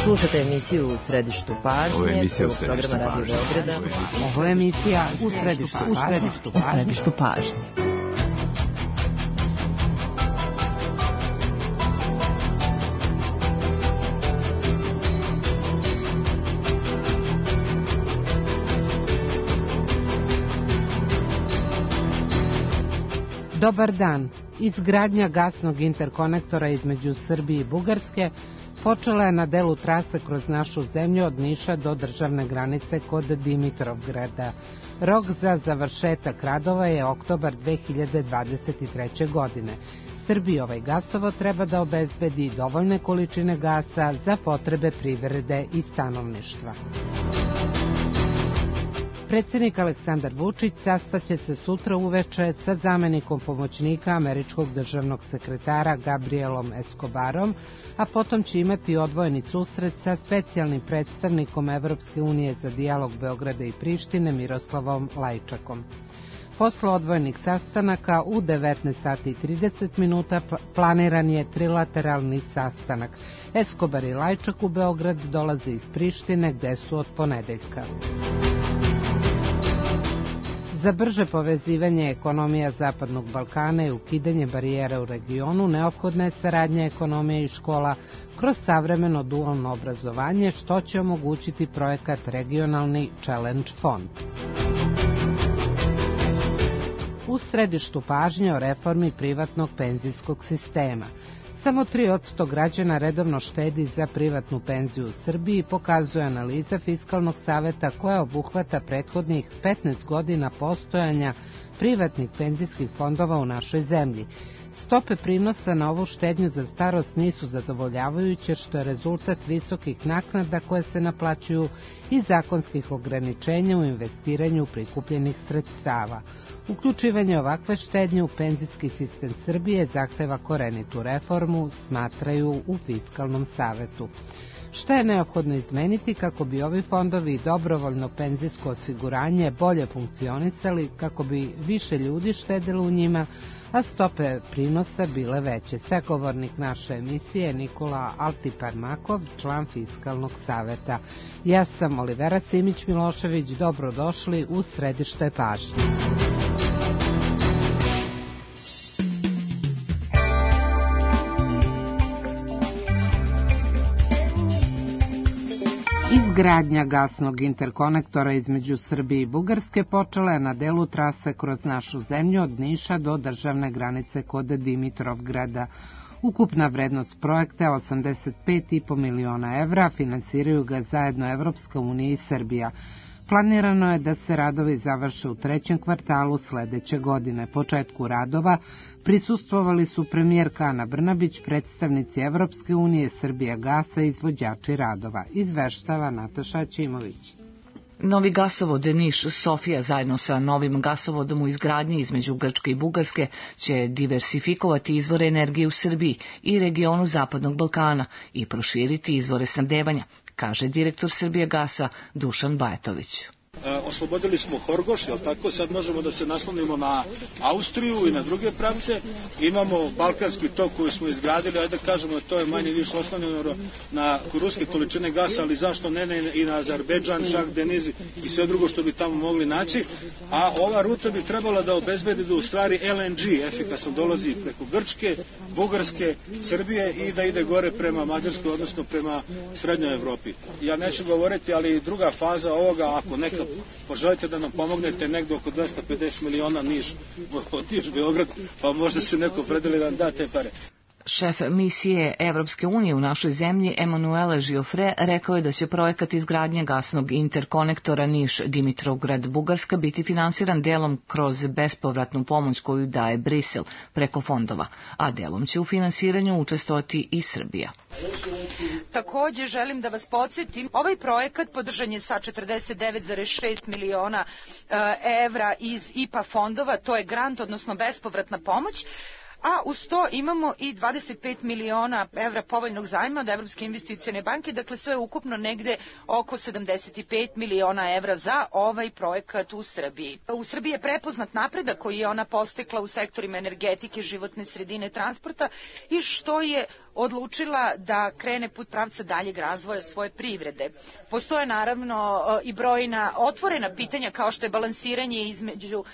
Slušate emisiju U središtu pažnje, programa Radio Beograda. Ovo je emisija U središtu pažnje. Dobar dan. Izgradnja gasnog interkonektora između Srbije i Bugarske počela je na delu trase kroz našu zemlju od Niša do državne granice kod Dimitrovgrada. Rok za završetak radova je oktobar 2023. godine. Srbiji ovaj gasovod treba da obezbedi dovoljne količine gasa za potrebe privrede i stanovništva. Predsjednik Aleksandar Vučić sastaće se sutra uveče sa zamenikom pomoćnika američkog državnog sekretara Gabrielom Escobarom, a potom će imati odvojeni susret sa specijalnim predstavnikom Evropske unije za dijalog Beograda i Prištine Miroslavom Lajčakom. Posle odvojenih sastanaka u 19:30 planiran je trilateralni sastanak. Escobar i Lajčak u Beograd dolaze iz Prištine gde su od ponedeljka. Za brže povezivanje ekonomija Zapadnog Balkana i ukidanje barijera u regionu neophodna je saradnja ekonomije i škola kroz savremeno dualno obrazovanje, što će omogućiti projekat Regionalni Challenge Fond. U središtu pažnje o reformi privatnog penzijskog sistema. Samo 3% građana redovno štedi za privatnu penziju u Srbiji, pokazuje analiza Fiskalnog saveta koja obuhvata prethodnih 15 godina postojanja privatnih penzijskih fondova u našoj zemlji. Stope prinosa na ovu štednju za starost nisu zadovoljavajuće, što je rezultat visokih naknada koje se naplaćuju i zakonskih ograničenja u investiranju prikupljenih sredstava. Uključivanje ovakve štednje u penzijski sistem Srbije zahteva korenitu reformu, smatraju u Fiskalnom savetu. Šta je neophodno izmeniti kako bi ovi fondovi i dobrovoljno penzijsko osiguranje bolje funkcionisali, kako bi više ljudi štedilo u njima, a stope prinosa bile veće? Sagovornik naše emisije je Nikola Altiparmakov, član Fiskalnog saveta. Ja sam Olivera Simić-Milošević, dobrodošli u središte pažnje. Izgradnja gasnog interkonektora između Srbije i Bugarske počela je na delu trase kroz našu zemlju od Niša do državne granice kod Dimitrovgrada. Ukupna vrednost projekta je 85,5 miliona evra, finansiraju ga zajedno Evropska unija i Srbija. Planirano je da se radovi završe u trećem kvartalu sledeće godine. Početku radova prisustvovali su premijerka Ana Brnabić, predstavnici Evropske unije, Srbija gasa i izvođači radova. Izveštava Nataša Ćimović. Novi gasovod Niš-Sofija zajedno sa novim gasovodom u izgradnji između Grčke i Bugarske će diversifikovati izvore energije u Srbiji i regionu Zapadnog Balkana i proširiti izvore snabdevanja, kaže direktor Srbije gasa Dušan Bajatović. Oslobodili smo Horgoš, jel tako? Sad možemo da se naslonimo na Austriju i na druge pravce. Imamo Balkanski tok koji smo izgradili, ajde kažemo, to je manje više oslonjeno na ruske količine gasa, ali zašto ne i na Azerbejdžan, Šah Deniz i sve drugo što bi tamo mogli naći. A ova ruta bi trebala da obezbedi da u stvari LNG efikasno dolazi preko Grčke, Bugarske, Srbije i da ide gore prema Mađarskoj, odnosno prema Srednjoj Evropi. Ja neću govoriti, ali druga faza ovoga, ako neka poželite da nam pomognete, negdje oko 250 miliona Niš Beograd, pa možda se neko predeli da nam da te pare. Šef misije Evropske unije u našoj zemlji, Emanuele Žiofre, rekao je da će projekat izgradnje gasnog interkonektora Niš-Dimitrovgrad-Bugarska biti finansiran delom kroz bespovratnu pomoć koju daje Brisel preko fondova, a delom će u finansiranju učestvovati i Srbija. Takođe, želim da vas podsjetim, ovaj projekat podržan je sa 49,6 miliona evra iz IPA fondova, to je grant, odnosno bespovratna pomoć, a uz to imamo i 25 miliona evra povoljnog zajma od Evropske investicione banke, dakle sve ukupno negde oko 75 miliona evra za ovaj projekat u Srbiji. U Srbiji je prepoznat napredak koji je ona postekla u sektorima energetike, životne sredine, transporta i što je odlučila da krene put pravca daljeg razvoja svoje privrede. Postoje naravno i brojna otvorena pitanja kao što je balansiranje između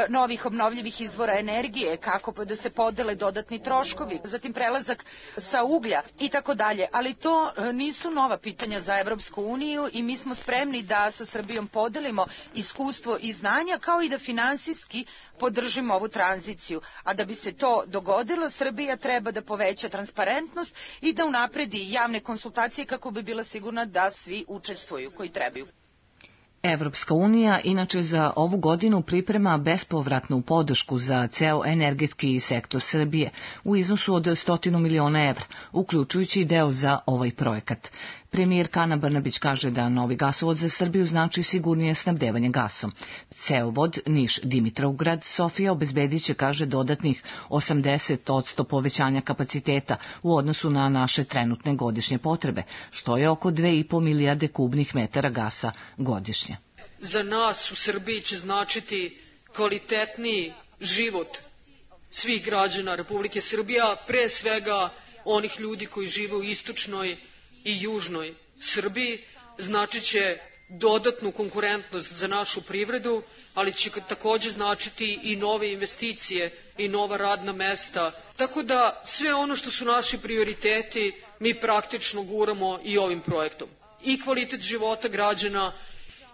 novih obnovljivih izvora energije, kako da se podele dodatni troškovi, zatim prelazak sa uglja i tako dalje, ali to nisu nova pitanja za Evropsku uniju i mi smo spremni da sa Srbijom podelimo iskustvo i znanja kao i da finansijski podržimo ovu tranziciju. A da bi se to dogodilo, Srbija treba da poveća transparentnost i da unapredi javne konsultacije kako bi bila sigurna da svi učestvuju koji trebaju. Evropska unija inače za ovu godinu priprema bespovratnu podršku za ceo energetski sektor Srbije u iznosu od 100 miliona evra, uključujući deo za ovaj projekat. Premijerka Ana Brnabić kaže da novi gasovod za Srbiju znači sigurnije snabdevanje gasom. Cevovod Niš-Dimitrovgrad Sofija obezbedit će, kaže, dodatnih 80% povećanja kapaciteta u odnosu na naše trenutne godišnje potrebe, što je oko 2,5 milijarde kubnih metara gasa godišnje. Za nas u Srbiji će značiti kvalitetniji život svih građana Republike Srbije, a pre svega onih ljudi koji žive u istočnoj i južnoj Srbiji, znači će dodatnu konkurentnost za našu privredu, ali će takođe značiti i nove investicije i nova radna mesta. Tako da sve ono što su naši prioriteti mi praktično guramo i ovim projektom. I kvalitet života građana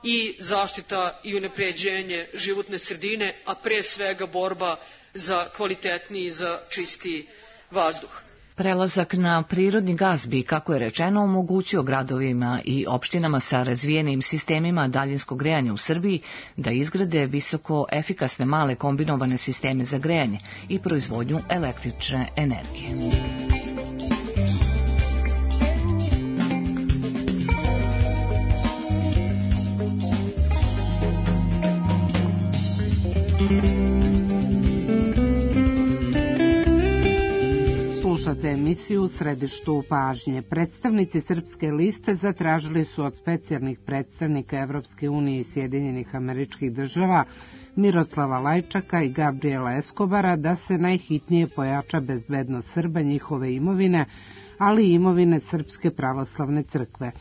i zaštita i unapređenje životne sredine, a pre svega borba za kvalitetniji i za čistiji vazduh. Prelazak na prirodni gas bi, kako je rečeno, omogućio gradovima i opštinama sa razvijenim sistemima daljinskog grejanja u Srbiji da izgrade visoko efikasne male kombinovane sisteme za grejanje i proizvodnju električne energije. Slušate emisiju U središtu pažnje. Predstavnici Srpske liste zatražili su od specijalnih predstavnika Evropske unije i Sjedinjenih Američkih Država Miroslava Lajčaka i Gabriela Eskobara da se najhitnije pojača bezbednost Srba, njihove imovine, ali i imovine Srpske pravoslavne crkve.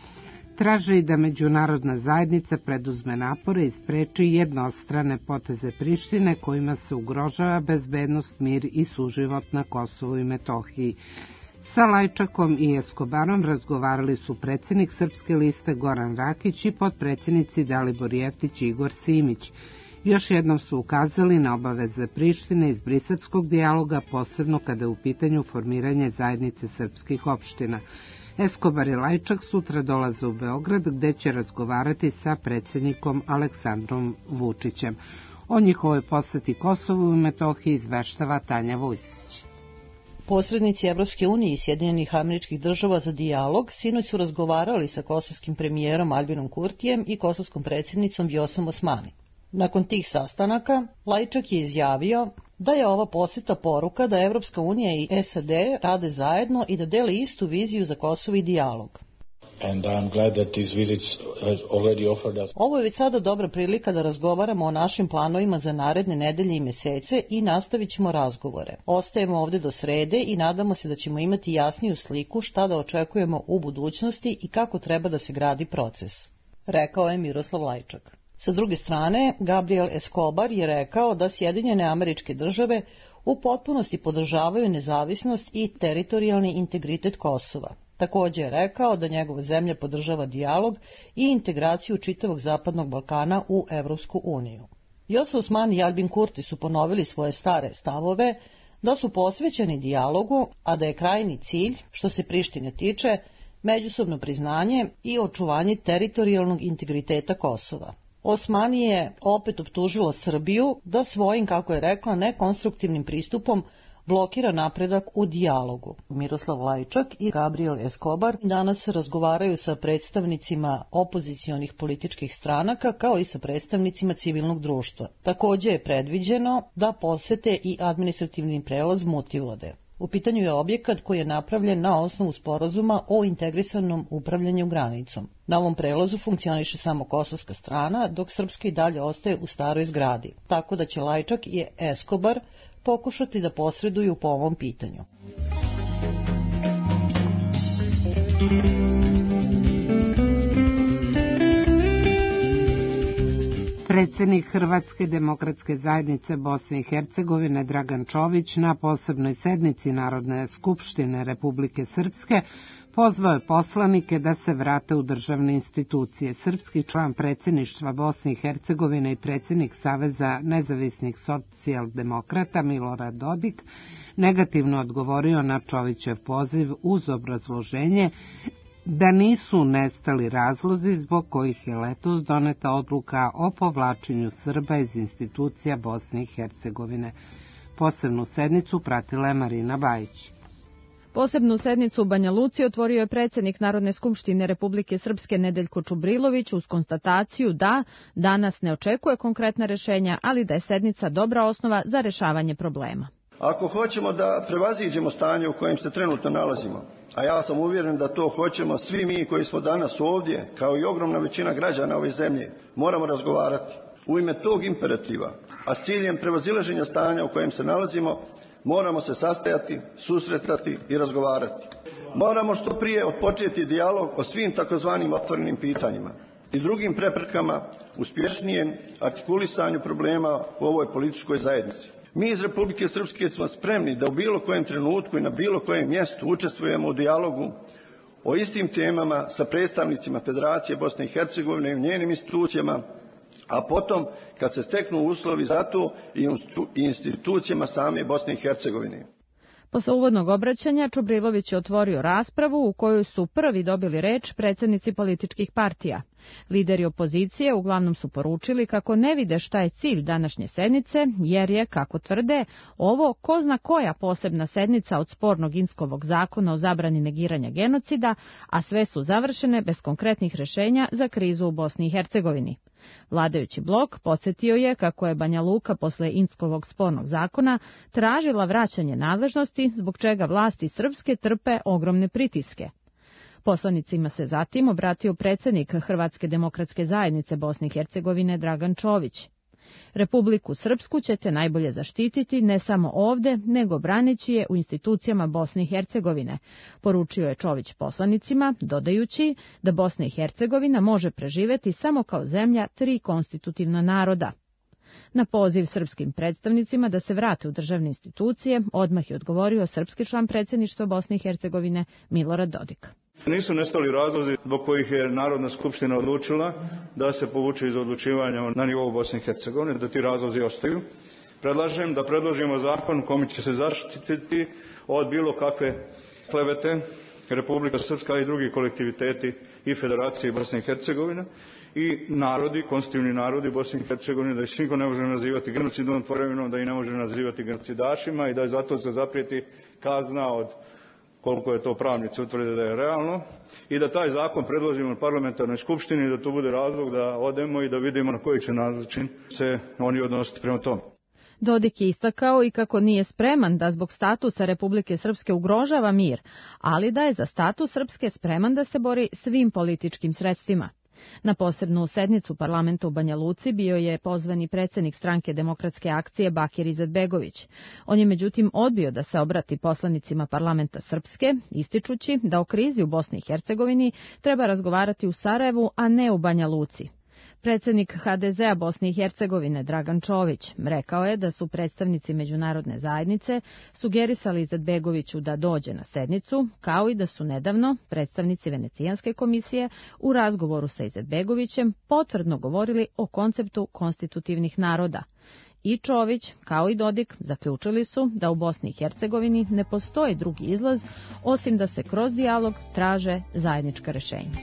Traže i da međunarodna zajednica preduzme napore i spreči jednostrane poteze Prištine kojima se ugrožava bezbednost, mir i suživot na Kosovu i Metohiji. Sa Lajčakom i Eskobarom razgovarali su predsjednik Srpske liste Goran Rakić i potpredsjednici Dalibor Jeftić i Igor Simić. Još jednom su ukazali na obaveze Prištine iz briselskog dijaloga, posebno kada je u pitanju formiranje zajednice srpskih opština. Eskobar i Lajčak sutra dolaze u Beograd gde će razgovarati sa predsjednikom Aleksandrom Vučićem. O njihovoj poseti Kosovu i Metohiji izveštava Tanja Vujsić. Posrednici Evropske unije i Sjedinjenih Američkih Država za dijalog sinoć su razgovarali sa kosovskim premijerom Albinom Kurtijem i kosovskom predsjednicom Vjosom Osmani. Nakon tih sastanaka, Lajčak je izjavio da je ova poseta poruka da Evropska unija i SAD rade zajedno i da dele istu viziju za Kosovo i dijalog. Ovo je već sada dobra prilika da razgovaramo o našim planovima za naredne nedelje i mesece i nastavit ćemo razgovore. Ostajemo ovde do srede i nadamo se da ćemo imati jasniju sliku šta da očekujemo u budućnosti i kako treba da se gradi proces, rekao je Miroslav Lajčak. Sa druge strane, Gabriel Escobar je rekao da Sjedinjene Američke Države u potpunosti podržavaju nezavisnost i teritorijalni integritet Kosova. Također je rekao da njegova zemlja podržava dijalog i integraciju čitavog Zapadnog Balkana u Evropsku uniju. Vjosa Osmani i Albin Kurti su ponovili svoje stare stavove da su posvećeni dijalogu, a da je krajnji cilj, što se Prištine tiče, međusobno priznanje i očuvanje teritorijalnog integriteta Kosova. Osmani je opet optužila Srbiju da svojim, kako je rekla, nekonstruktivnim pristupom blokira napredak u dijalogu. Miroslav Lajčak i Gabriel Escobar danas razgovaraju sa predstavnicima opozicionih političkih stranaka kao i sa predstavnicima civilnog društva. Također je predviđeno da posete i administrativni prelaz Mutivode. U pitanju je objekat koji je napravljen na osnovu sporazuma o integrisanom upravljanju granicom. Na ovom prelazu funkcioniše samo kosovska strana, dok srpska i dalje ostaje u staroj zgradi. Tako da će Lajčak i Escobar pokušati da posreduju po ovom pitanju. Predsjednik Hrvatske demokratske zajednice Bosne i Hercegovine Dragan Čović na posebnoj sednici Narodne skupštine Republike Srpske pozvao je poslanike da se vrate u državne institucije. Srpski član predsjedništva Bosne i Hercegovine i predsjednik Saveza nezavisnih socijaldemokrata Milorad Dodik negativno odgovorio na Čovićev poziv uz obrazloženje da nisu nestali razlozi zbog kojih je letos doneta odluka o povlačenju Srba iz institucija Bosne i Hercegovine. Posebnu sednicu pratila je Marina Bajić. Posebnu sednicu u Banja Luci otvorio je predsjednik Narodne skupštine Republike Srpske Nedeljko Čubrilović uz konstataciju da danas ne očekuje konkretna rješenja, ali da je sednica dobra osnova za rješavanje problema. Ako hoćemo da prevaziđemo stanje u kojem se trenutno nalazimo, a ja sam uvjeren da to hoćemo svi mi koji smo danas ovdje, kao i ogromna većina građana ove zemlje, moramo razgovarati. U ime tog imperativa, a s ciljem prevazilaženja stanja u kojem se nalazimo, moramo se sastajati, susretati i razgovarati. Moramo što prije otpočeti dijalog o svim takozvanim otvorenim pitanjima i drugim preprekama uspješnijem artikulisanju problema u ovoj političkoj zajednici. Mi iz Republike Srpske smo spremni da u bilo kojem trenutku i na bilo kojem mjestu učestvujemo u dijalogu o istim temama sa predstavnicima Federacije Bosne i Hercegovine i u njenim institucijama, a potom kad se steknu uslovi za to i institucijama same Bosne i Hercegovine. Posle uvodnog obraćanja Čubrilović je otvorio raspravu u kojoj su prvi dobili reč predsjednici političkih partija. Lideri opozicije uglavnom su poručili kako ne vide šta je cilj današnje sednice, jer je, kako tvrde, ovo ko zna koja posebna sednica od spornog Inskovog zakona o zabrani negiranja genocida, a sve su završene bez konkretnih rješenja za krizu u Bosni i Hercegovini. Vladajući blok podsjetio je kako je Banja Luka posle Inskovog spornog zakona tražila vraćanje nadležnosti, zbog čega vlasti srpske trpe ogromne pritiske. Poslanicima se zatim obratio predsjednik Hrvatske demokratske zajednice Bosne i Hercegovine Dragan Čović. Republiku Srpsku ćete najbolje zaštititi ne samo ovdje, nego braneći je u institucijama Bosne i Hercegovine, poručio je Čović poslanicima, dodajući da Bosna i Hercegovina može preživjeti samo kao zemlja 3 konstitutivna naroda. Na poziv srpskim predstavnicima da se vrate u državne institucije, odmah je odgovorio srpski član predsjedništva Bosne i Hercegovine Milorad Dodik. Nisu nestali razlozi zbog kojih je Narodna skupština odlučila da se povuče iz odlučivanja na nivou Bosne i Hercegovine, da ti razlozi ostaju. Predlažem da predložimo zakon kojim će se zaštititi od bilo kakve klevete Republika Srpska i drugi kolektiviteti i Federacije Bosne i Hercegovine i narodi, konstitutivni narodi Bosne i Hercegovine, da ih niko ne može nazivati genocidnom tvorevinom, da ih ne može nazivati genocidašima i da je zato se zaprijeti kazna od koliko je to pravnici utvrde da je realno i da taj zakon predložimo na parlamentarnoj skupštini i da to bude razlog da odemo i da vidimo na koji će način se oni odnositi prema tome. Dodik je istakao i kako nije spreman da zbog statusa Republike Srpske ugrožava mir, ali da je za status Srpske spreman da se bori svim političkim sredstvima. Na posebnu sednicu parlamenta u Banja Luci bio je pozvani predsjednik stranke Demokratske akcije Bakir Izetbegović. On je međutim odbio da se obrati poslanicima parlamenta Srpske, ističući da o krizi u Bosni i Hercegovini treba razgovarati u Sarajevu, a ne u Banja Luci. Predsjednik HDZ-a Bosne i Hercegovine Dragan Čović rekao je da su predstavnici međunarodne zajednice sugerisali Izetbegoviću da dođe na sednicu, kao i da su nedavno predstavnici Venecijanske komisije u razgovoru sa Izetbegovićem potvrdno govorili o konceptu konstitutivnih naroda. I Čović, kao i Dodik, zaključili su da u Bosni i Hercegovini ne postoji drugi izlaz osim da se kroz dijalog traže zajednička rješenja.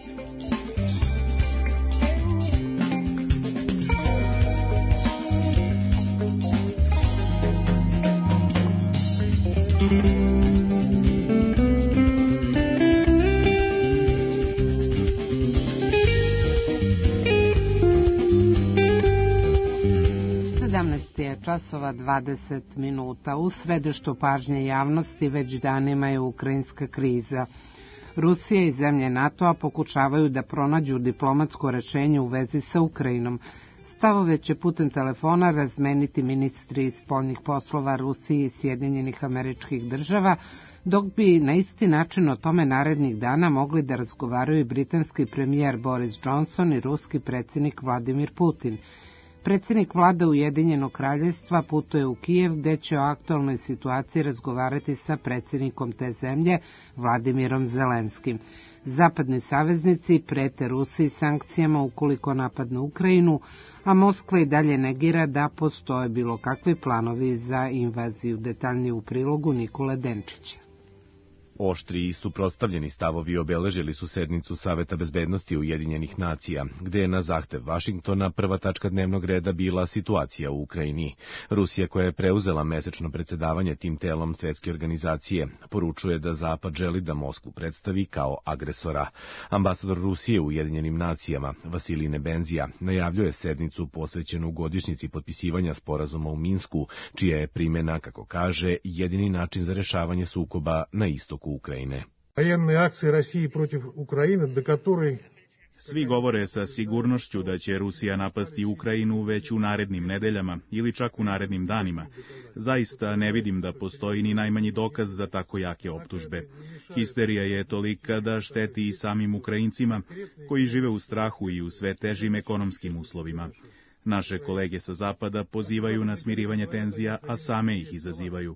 časova 20 minuta. U središtu pažnje javnosti već danima je ukrajinska kriza. Rusija i zemlje NATO-a pokušavaju da pronađu diplomatsko rešenje u vezi sa Ukrajinom. Stavove će putem telefona razmeniti ministri spoljnih poslova Rusije i Sjedinjenih Američkih Država, dok bi na isti način o tome narednih dana mogli da razgovaraju i britanski premijer Boris Johnson i ruski predsjednik Vladimir Putin. Predsjednik vlade Ujedinjenog kraljevstva putuje u Kijev, gde će o aktualnoj situaciji razgovarati sa predsjednikom te zemlje, Vladimirom Zelenskim. Zapadni saveznici prete Rusiji sankcijama ukoliko napadne Ukrajinu, a Moskva i dalje negira da postoje bilo kakvi planovi za invaziju. Detaljnije u prilogu Nikole Denčića. Oštri i suprotstavljeni stavovi obeležili su sednicu Saveta bezbednosti Ujedinjenih nacija, gde je na zahtev Vašingtona prva tačka dnevnog reda bila situacija u Ukrajini. Rusija, koja je preuzela mesečno predsedavanje tim telom svetske organizacije, poručuje da Zapad želi da Moskvu predstavi kao agresora. Ambasador Rusije u Ujedinjenim nacijama, Vasilij Nebenzija, najavljuje sednicu posvećenu godišnjici potpisivanja sporazuma u Minsku, čija je primjena, kako kaže, jedini način za rešavanje sukoba na istoku Ukrajine. Военные акции России против Украины, до которой Svi govore sa sigurnošću da će Rusija napasti Ukrajinu već u narednim nedeljama ili čak u narednim danima. Zaista ne vidim da postoji ni najmanji dokaz za tako jake optužbe. Histerija je tolika da šteti i samim Ukrajincima koji žive u strahu i u sve težim ekonomskim uslovima. Naše kolege sa Zapada pozivaju na smirivanje tenzija, a same ih izazivaju.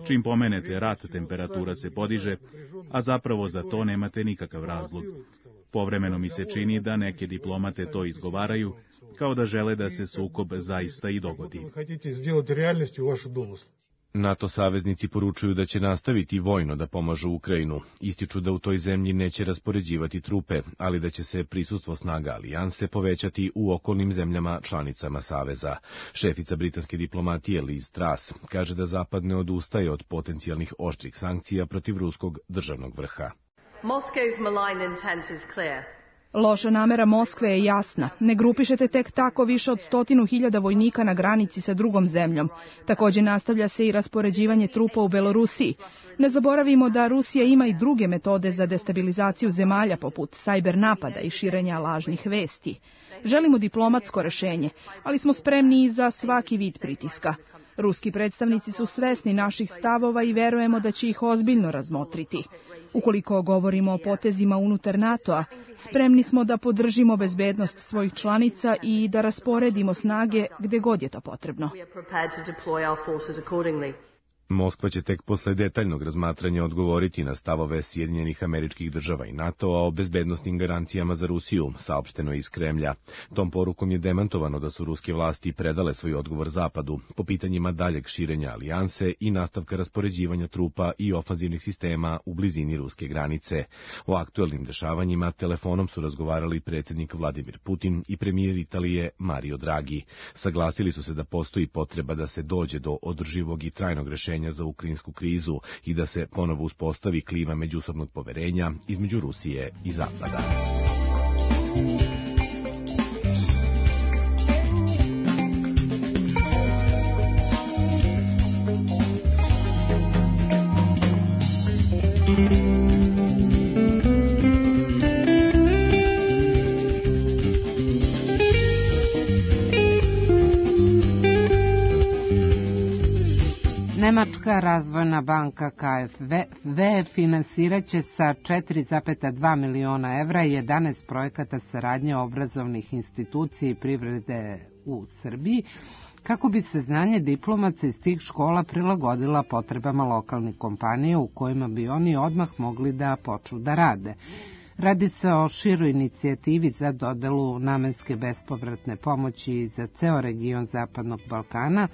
Čim pomenete rat, temperatura se podiže, a zapravo za to nemate nikakav razlog. Povremeno mi se čini da neke diplomate to izgovaraju, kao da žele da se sukob zaista i dogodi. NATO saveznici poručuju da će nastaviti vojno da pomažu Ukrajinu. Ističu da u toj zemlji neće raspoređivati trupe, ali da će se prisustvo snaga alijanse povećati u okolnim zemljama članicama saveza. Šefica britanske diplomatije Liz Truss kaže da Zapad ne odustaje od potencijalnih oštrih sankcija protiv ruskog državnog vrha. Loša namera Moskve je jasna. Ne grupišete tek tako više od 100.000 vojnika na granici sa drugom zemljom. Također nastavlja se i raspoređivanje trupa u Belorusiji. Ne zaboravimo da Rusija ima i druge metode za destabilizaciju zemalja poput sajber napada i širenja lažnih vesti. Želimo diplomatsko rešenje, ali smo spremni i za svaki vid pritiska. Ruski predstavnici su svesni naših stavova i verujemo da će ih ozbiljno razmotriti. Ukoliko govorimo o potezima unutar NATO-a, spremni smo da podržimo bezbednost svojih članica i da rasporedimo snage gde god je to potrebno. Moskva će tek posle detaljnog razmatranja odgovoriti na stavove Sjedinjenih Američkih Država i NATO-a o bezbednosnim garancijama za Rusiju, saopšteno iz Kremlja. Tom porukom je demantovano da su ruske vlasti predale svoj odgovor Zapadu po pitanjima daljeg širenja alijanse i nastavka raspoređivanja trupa i ofanzivnih sistema u blizini ruske granice. O aktuelnim dešavanjima telefonom su razgovarali predsjednik Vladimir Putin i premijer Italije Mario Draghi. Saglasili su se da postoji potreba da se dođe do održivog i trajnog rešenja za ukrajinsku krizu i da se ponovo uspostavi klima međusobnog poverenja između Rusije i Zapada. Nemačka razvojna banka KfW finansirat će sa 4,2 miliona evra 11 projekata saradnje obrazovnih institucija i privrede u Srbiji, kako bi se znanje diplomaca iz tih škola prilagodila potrebama lokalnih kompanija u kojima bi oni odmah mogli da počnu da rade. Radi se o široj inicijativi za dodelu namenske bespovratne pomoći za ceo region Zapadnog Balkana,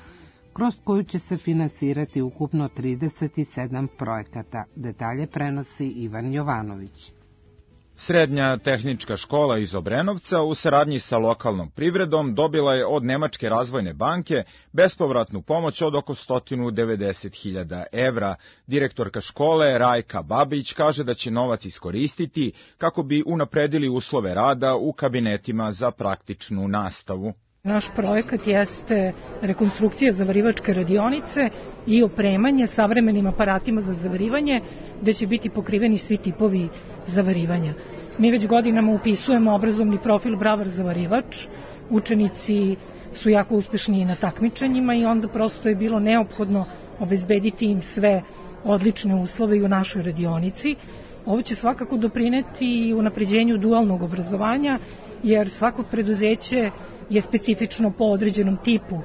kroz koju će se finansirati ukupno 37 projekata. Detalje prenosi Ivan Jovanović. Srednja tehnička škola iz Obrenovca u saradnji sa lokalnom privredom dobila je od Nemačke razvojne banke bespovratnu pomoć od oko 190.000 evra. Direktorka škole Rajka Babić kaže da će novac iskoristiti kako bi unapredili uslove rada u kabinetima za praktičnu nastavu. Naš projekat jeste rekonstrukcija zavarivačke radionice i opremanje savremenim aparatima za zavarivanje, gde će biti pokriveni svi tipovi zavarivanja. Mi već godinama upisujemo obrazovni profil bravar zavarivač, učenici su jako uspešni na takmičenjima i onda prosto je bilo neophodno obezbediti im sve odlične uslove i u našoj radionici. Ovo će svakako doprineti i unapređenju dualnog obrazovanja, jer svako preduzeće je specifično po određenom tipu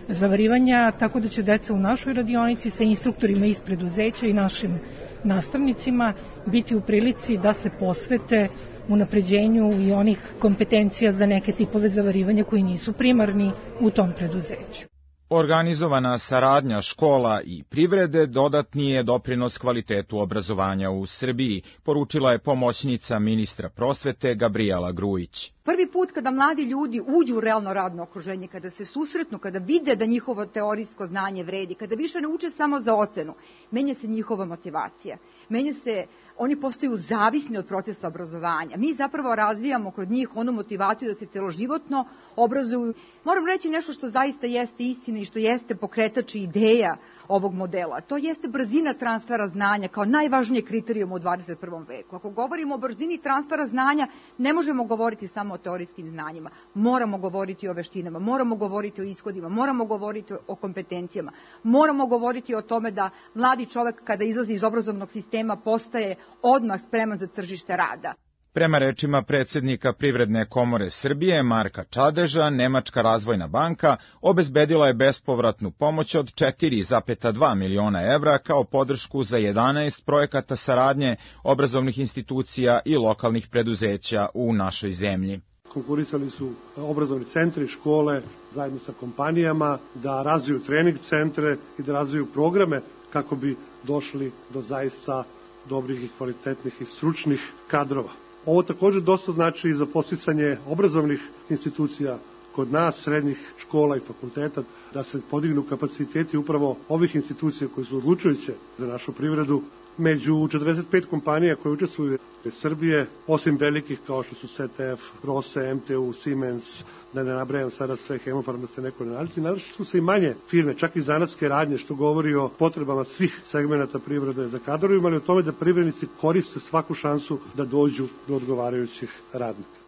zavarivanja, tako da će deca u našoj radionici sa instruktorima iz preduzeća i našim nastavnicima biti u prilici da se posvete unapređenju i onih kompetencija za neke tipove zavarivanja koji nisu primarni u tom preduzeću. Organizovana saradnja škola i privrede dodatni je doprinos kvalitetu obrazovanja u Srbiji, poručila je pomoćnica ministra prosvete Gabrijela Grujić. Prvi put kada mladi ljudi uđu u realno radno okruženje, kada se susretnu, kada vide da njihovo teorijsko znanje vredi, kada više ne uče samo za ocenu, menja se njihova motivacija, menja se, oni postaju zavisni od procesa obrazovanja. Mi zapravo razvijamo kod njih onu motivaciju da se celoživotno obrazuju. Moram reći nešto što zaista jeste istina i što jeste pokretač i ideja ovog modela. To jeste brzina transfera znanja kao najvažnije kriterijum u 21. veku. Ako govorimo o brzini transfera znanja, ne možemo govoriti samo o teorijskim znanjima. Moramo govoriti o veštinama, moramo govoriti o ishodima, moramo govoriti o kompetencijama, moramo govoriti o tome da mladi čovek kada izlazi iz obrazovnog sistema postaje odmah spreman za tržište rada. Prema rečima predsjednika Privredne komore Srbije Marka Čadeža, Nemačka razvojna banka obezbedila je bespovratnu pomoć od 4,2 miliona evra kao podršku za 11 projekata saradnje obrazovnih institucija i lokalnih preduzeća u našoj zemlji. Konkurisali su obrazovni centri, škole, zajedno sa kompanijama, da razviju trening centre i da razviju programe kako bi došli do zaista dobrih i kvalitetnih i stručnih kadrova. Ovo također dosta znači i za podsticanje obrazovnih institucija kod nas, srednjih škola i fakulteta, da se podignu kapaciteti upravo ovih institucija koje su odlučujuće za našu privredu. Među 45 kompanija koje učestvuju iz Srbije, osim velikih kao što su CTF, Rose, MTU, Siemens, da ne nabrajam sada sve, Hemofarm, da se neko ne naliti, naravno su se i manje firme, čak i zanatske radnje, što govori o potrebama svih segmenata privrede za kadrovima, ali o tome da privrednici koriste svaku šansu da dođu do odgovarajućih radnika.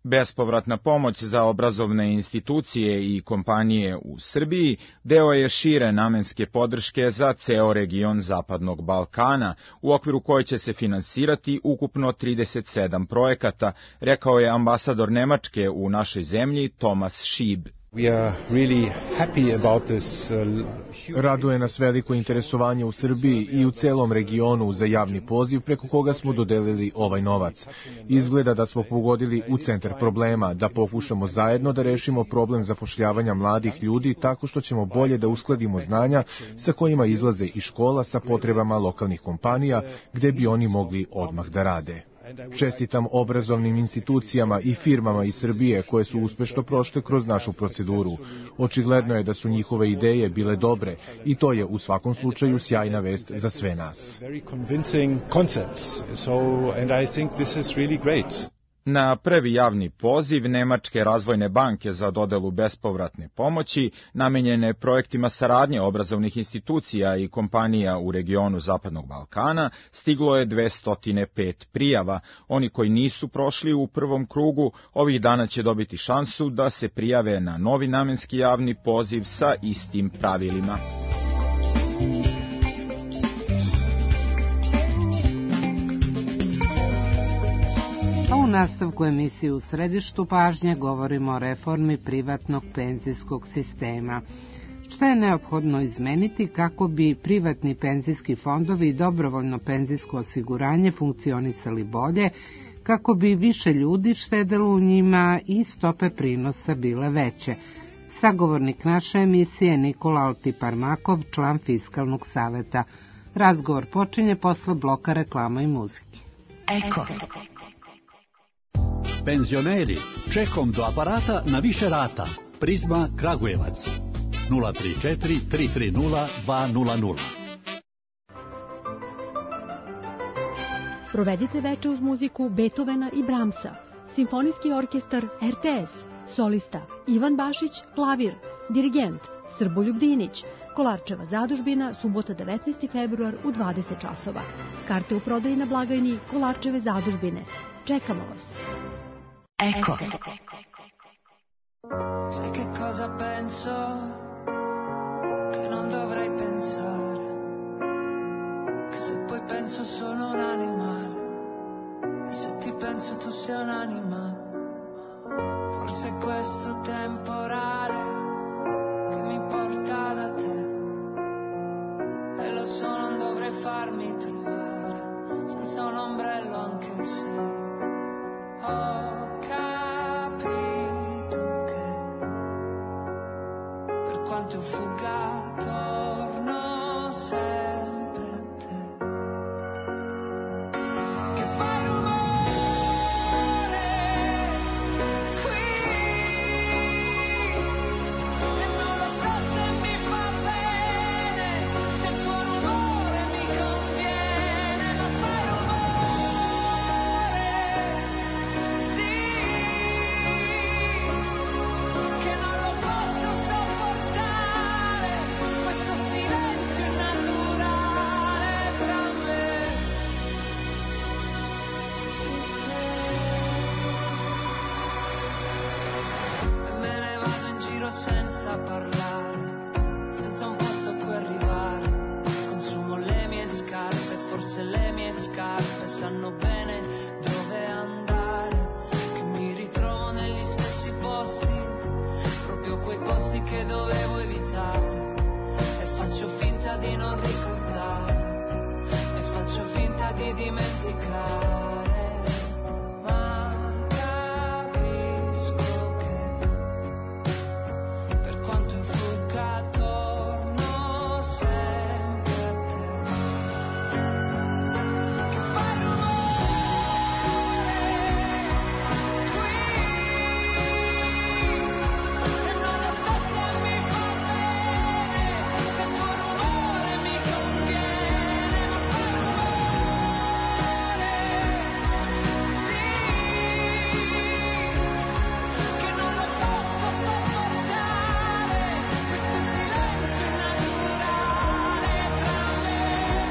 Bespovratna pomoć za obrazovne institucije i kompanije u Srbiji deo je šire namenske podrške za ceo region Zapadnog Balkana, u okviru koje će se finansirati ukupno 37 projekata, rekao je ambasador Nemačke u našoj zemlji Thomas Schieb. Raduje nas veliko interesovanje u Srbiji i u celom regionu za javni poziv preko koga smo dodelili ovaj novac. Izgleda da smo pogodili u centar problema, da pokušamo zajedno da rešimo problem zapošljavanja mladih ljudi tako što ćemo bolje da uskladimo znanja sa kojima izlaze iz škola sa potrebama lokalnih kompanija gde bi oni mogli odmah da rade. Čestitam obrazovnim institucijama i firmama iz Srbije koje su uspešno prošle kroz našu proceduru. Očigledno je da su njihove ideje bile dobre i to je u svakom slučaju sjajna vest za sve nas. Na prvi javni poziv Nemačke razvojne banke za dodelu bespovratne pomoći, namenjene projektima saradnje obrazovnih institucija i kompanija u regionu Zapadnog Balkana, stiglo je 205 prijava. Oni koji nisu prošli u prvom krugu, ovih dana će dobiti šansu da se prijave na novi namenski javni poziv sa istim pravilima. U nastavku emisije U središtu pažnje govorimo o reformi privatnog penzijskog sistema. Šta je neophodno izmeniti kako bi privatni penzijski fondovi i dobrovoljno penzijsko osiguranje funkcionisali bolje, kako bi više ljudi štedelo u njima i stope prinosa bile veće? Sagovornik naše emisije Nikola Altiparmakov, član Fiskalnog saveta. Razgovor počinje posle bloka reklama i muzike. Eko. Penzioneri, čekom do aparata na više rata. Prizma Kragujevac 034 330 200. Provedite veče uz muziku Beethovena i Brahmsa. Simfonijski orkestar RTS. Solista Ivan Bašić, klavir. Dirigent Srboljub Dinić. Kolarčeva zadužbina, subota 19. februar u 20 časova. Karte u prodaji na blagajni Kolarčeve zadužbine. Čekamo vas. Eko. Sai che cosa penso? Che non dovrei pensare. Che se poi penso sono un animale. E se ti penso tu sei un animale. Forse questo temporale che mi porta da te. E lo so, non dovrei farmi trovare senza un ombrello anche se ho capito che per quanto io fugga torno sempre a te. Che fai rumore qui e non lo so se mi fa bene, se il tuo rumore mi conviene, ma fai rumore, sì, che non lo posso sopportare, questo silenzio naturale tra me e te. E me ne vado in giro senza parlare, senza un posto a cui arrivare. Consumo le mie scarpe, forse le mie scarpe sanno bene dove andare. Che mi ritrovo negli stessi posti, proprio quei posti che dovevo evitare. E faccio finta di non ricordare, e faccio finta di dimenticare. Ma capisco che per quanto io fugga torno sempre a te. Che fai rumore qui e non lo so se mi fa bene, se il tuo rumore mi conviene, ma fai rumore, sì, che non lo posso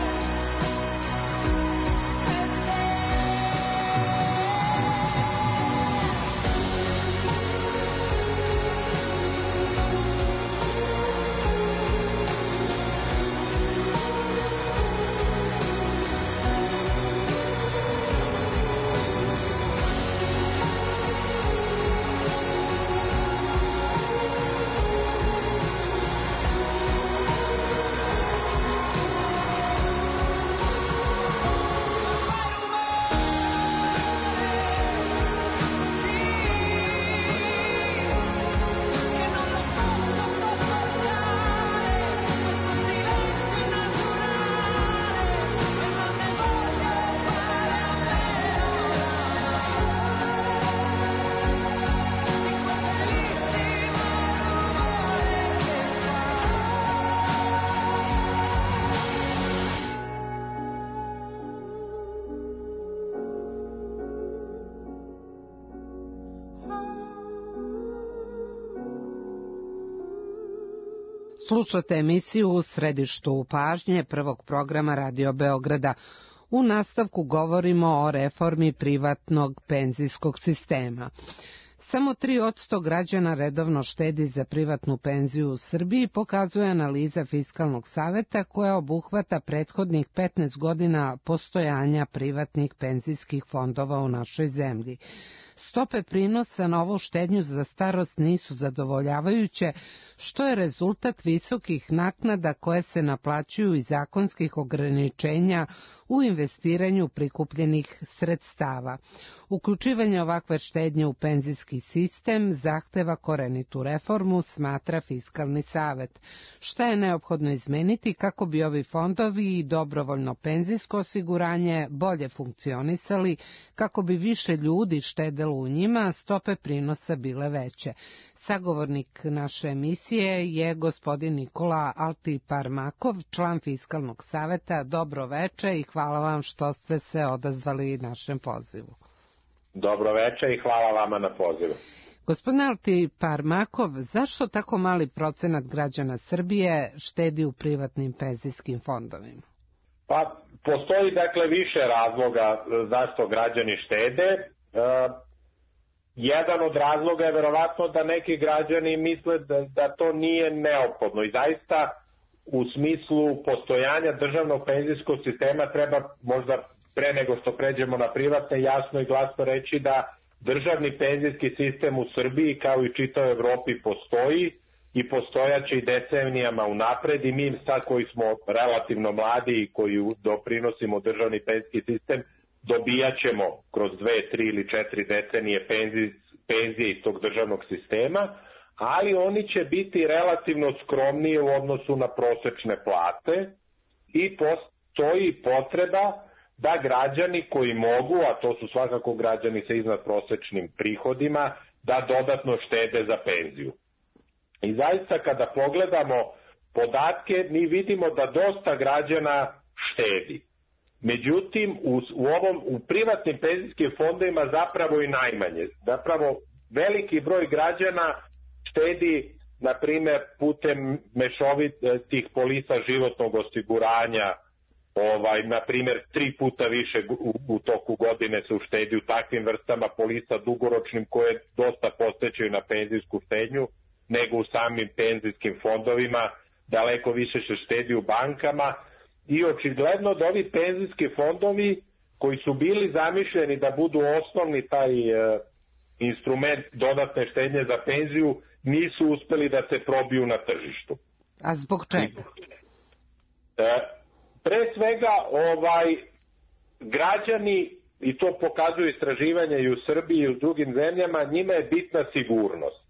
sopportare, questo silenzio naturale tra me e te. Slušate emisiju U središtu pažnje prvog programa Radio Beograda. U nastavku govorimo o reformi privatnog penzijskog sistema. Samo 3% građana redovno štedi za privatnu penziju u Srbiji, pokazuje analiza Fiskalnog saveta koja obuhvata prethodnih 15 godina postojanja privatnih penzijskih fondova u našoj zemlji. Stope prinosa na ovu štednju za starost nisu zadovoljavajuće, što je rezultat visokih naknada koje se naplaćuju iz zakonskih ograničenja u investiranju prikupljenih sredstava. Uključivanje ovakve štednje u penzijski sistem zahteva korenitu reformu, smatra Fiskalni savet. Šta je neophodno izmeniti kako bi ovi fondovi i dobrovoljno penzijsko osiguranje bolje funkcionisali, kako bi više ljudi štedelo u njima, a stope prinosa bile veće? Sagovornik naše emisije je gospodin Nikola Altiparmakov, član Fiskalnog saveta. Dobro veče i hvala vam što ste se odazvali našem pozivu. Dobro veče i hvala vama na pozivu. Gospodine Altiparmakov, zašto tako mali procenat građana Srbije štedi u privatnim penzijskim fondovima? Pa, postoji dakle više razloga zašto građani štede. Jedan od razloga je verovatno da neki građani misle da to nije neophodno i zaista u smislu postojanja državnog penzijskog sistema treba možda pre nego što pređemo na privatne jasno i glasno reći da državni penzijski sistem u Srbiji kao i čitavoj Evropi postoji i postojaće i decenijama unapred i mi sad koji smo relativno mladi i koji doprinosimo državni penzijski sistem dobijat ćemo kroz 2, 3 ili 4 decenije penzije iz tog državnog sistema, ali oni će biti relativno skromnije u odnosu na prosečne plate i postoji potreba da građani koji mogu, a to su svakako građani sa iznadprosečnim prihodima, da dodatno štede za penziju. I zaista kada pogledamo podatke, mi vidimo da dosta građana štedi. Međutim, u privatnim penzijskim fondovima zapravo i najmanje. Zapravo veliki broj građana štedi, na primjer, putem mešovitih polisa životnog osiguranja, na primjer 3 puta više u toku godine se uštedi u takvim vrstama polisa dugoročnim koje dosta postećaju na penzijsku štednju nego u samim penzijskim fondovima, daleko više se štedi u bankama i očigledno da ovi penzijski fondovi koji su bili zamišljeni da budu osnovni taj instrument dodatne štednje za penziju nisu uspeli da se probiju na tržištu. A zbog čega? Pre svega građani, i to pokazuju istraživanja i u Srbiji i u drugim zemljama, njima je bitna sigurnost.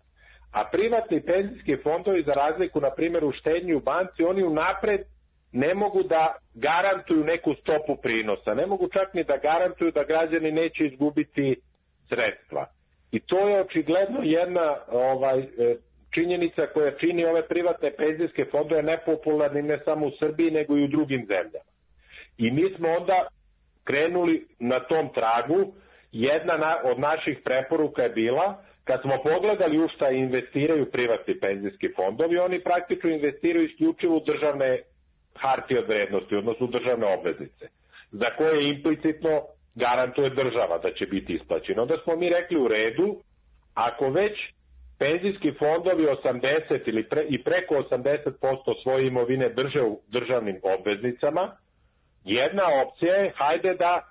A privatni penzijski fondovi, za razliku na primjer u štednji u banci, oni unapred ne mogu da garantuju neku stopu prinosa. Ne mogu čak ni da garantuju da građani neće izgubiti sredstva. I to je očigledno jedna činjenica koja čini ove privatne penzijske fondove nepopularni ne samo u Srbiji nego i u drugim zemljama. I mi smo onda krenuli na tom tragu. Jedna od naših preporuka je bila, kad smo pogledali u šta investiraju privatni penzijski fondovi, oni praktično investiraju isključivo u državne hartije od vrednosti, odnosno državne obveznice, za koje implicitno garantuje država da će biti isplaćeno. Onda smo mi rekli u redu, ako već penzijski fondovi 80 ili i preko 80% svoje imovine drže u državnim obveznicama, jedna opcija je, hajde da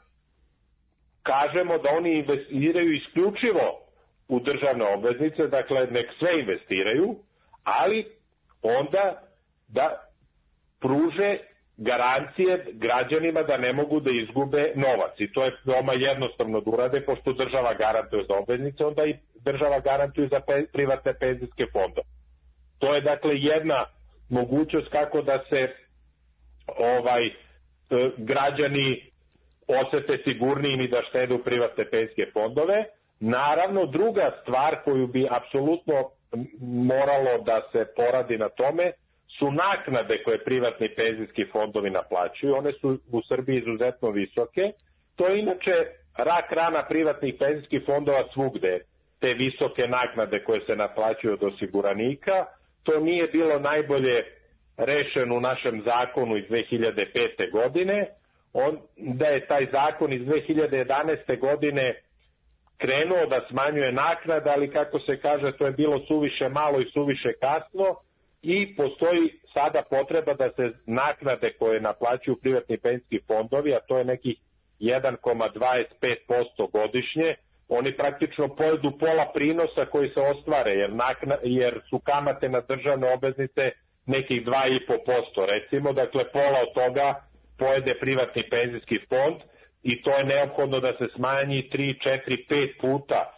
kažemo da oni investiraju isključivo u državne obveznice, dakle nek sve investiraju, ali onda da pruže garancije građanima da ne mogu da izgube novac. I to je veoma jednostavno da urade, pošto država garantuje za obveznice, onda i država garantuje za privatne penzijske fondove. To je dakle jedna mogućnost kako da se građani osete sigurnijim i da štede u privatne penzijske fondove. Naravno, druga stvar koju bi apsolutno moralo da se poradi na tome su naknade koje privatni penzijski fondovi naplaćuju. One su u Srbiji izuzetno visoke. To je inače rak rana privatnih penzijskih fondova svugde, te visoke naknade koje se naplaćuju od osiguranika. To nije bilo najbolje rešeno u našem zakonu iz 2005. godine. Da je taj zakon iz 2011. godine krenuo da smanjuje naknade, ali kako se kaže, to je bilo suviše malo i suviše kasno i postoji sada potreba da se naknade koje naplaćuju privatni penzijski fondovi, a to je nekih 1,25% godišnje, oni praktično pojedu pola prinosa koji se ostvare, jer su kamate na državne obveznice nekih 2,5%, recimo, dakle pola od toga pojede privatni penzijski fond i to je neophodno da se smanji 3, 4, 5 puta,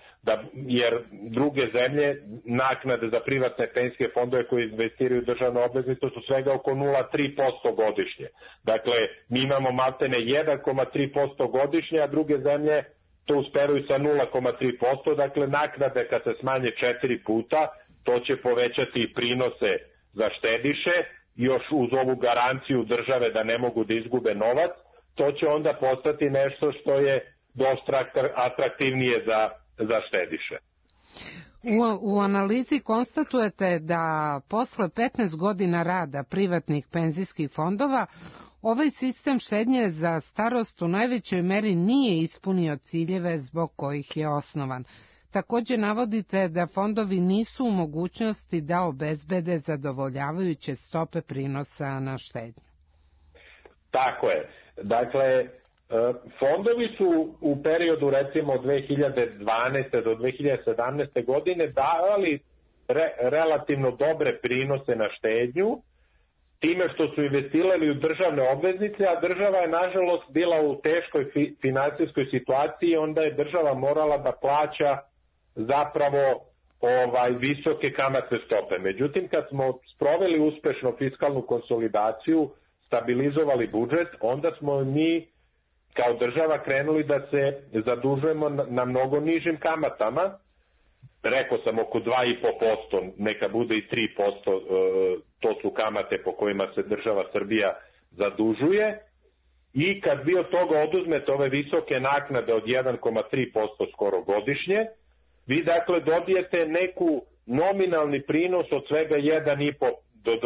jer druge zemlje naknade za privatne penzijske fondove koji investiraju u državne obveznice su svega oko 0,3% godišnje. Dakle, mi imamo maltene 1,3% godišnje, a druge zemlje to usperuju sa 0,3%. Dakle, naknade kad se smanje 4 puta, to će povećati prinose za štediše, još uz ovu garanciju države da ne mogu da izgube novac, to će onda postati nešto što je dosta atraktivnije za štediše. U analizi konstatujete da posle 15 godina rada privatnih penzijskih fondova ovaj sistem štednje za starost u najvećoj meri nije ispunio ciljeve zbog kojih je osnovan. Takođe navodite da fondovi nisu u mogućnosti da obezbede zadovoljavajuće stope prinosa na štednju. Tako je. Dakle, fondovi su u periodu recimo 2012. do 2017. godine davali relativno dobre prinose na štednju, time što su investirali u državne obveznice, a država je nažalost bila u teškoj finansijskoj situaciji, onda je država morala da plaća zapravo visoke kamatne stope. Međutim, kad smo sproveli uspešno fiskalnu konsolidaciju, stabilizovali budžet, onda smo mi kao država krenuli da se zadužujemo na mnogo nižim kamatama. Rekao sam oko 2,5%, neka bude i 3%, to su kamate po kojima se država Srbija zadužuje. I kad vi od toga oduzmete ove visoke naknade od 1,3% skoro godišnje, vi dakle dobijete neku nominalni prinos od svega 1,5 do 2%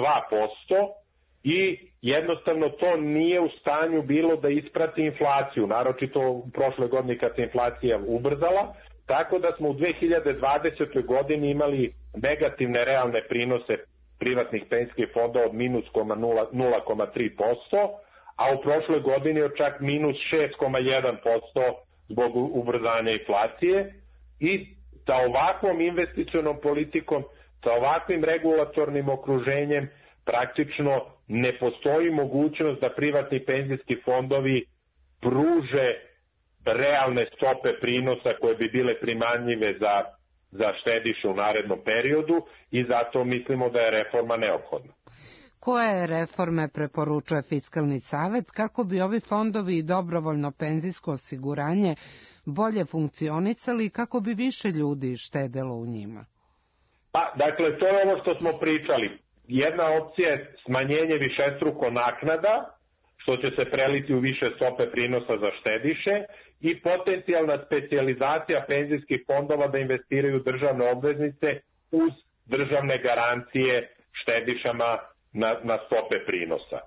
i jednostavno to nije u stanju bilo da isprati inflaciju, naročito u prošle godine kad se inflacija ubrzala, tako da smo u 2020. godini imali negativne realne prinose privatnih penzijskih fondova od minus 0,3%, a u prošloj godini od čak minus 6,1% zbog ubrzanja inflacije. I sa ovakvom investicionom politikom, sa ovakvim regulatornim okruženjem praktično ne postoji mogućnost da privatni penzijski fondovi pruže realne stope prinosa koje bi bile primanljive za štediše u narednom periodu i zato mislimo da je reforma neophodna. Koje reforme preporučuje Fiskalni savet kako bi ovi fondovi i dobrovoljno penzijsko osiguranje bolje funkcionisali i kako bi više ljudi štedelo u njima? Pa, dakle, to je ovo što smo pričali. Jedna opcija je smanjenje višestruko naknada, što će se preliti u više stope prinosa za štediše, i potencijalna specijalizacija penzijskih fondova da investiraju državne obveznice uz državne garancije štedišama na stope prinosa.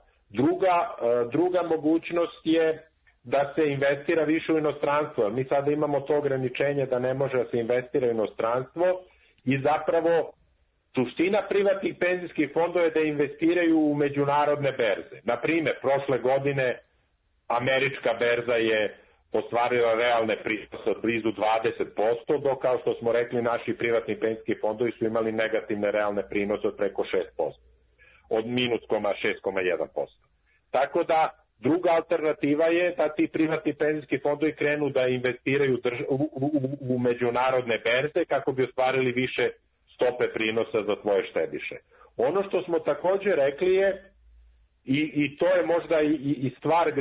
Druga mogućnost je da se investira više u inostranstvo. Mi sada imamo to ograničenje da ne može da se investira u inostranstvo i zapravo suština privatnih penzijskih fondova je da investiraju u međunarodne berze. Naprimer, prošle godine američka berza je ostvarila realne prinose od blizu 20%, dok kao što smo rekli naši privatni penzijski fondovi su imali negativne realne prinose od preko 6%, od minus 6,1%. Tako da druga alternativa je da ti privatni penzijski fondovi krenu da investiraju u međunarodne berze kako bi ostvarili više stope prinosa za tvoje štediše. Ono što smo takođe rekli je, i to je možda i stvar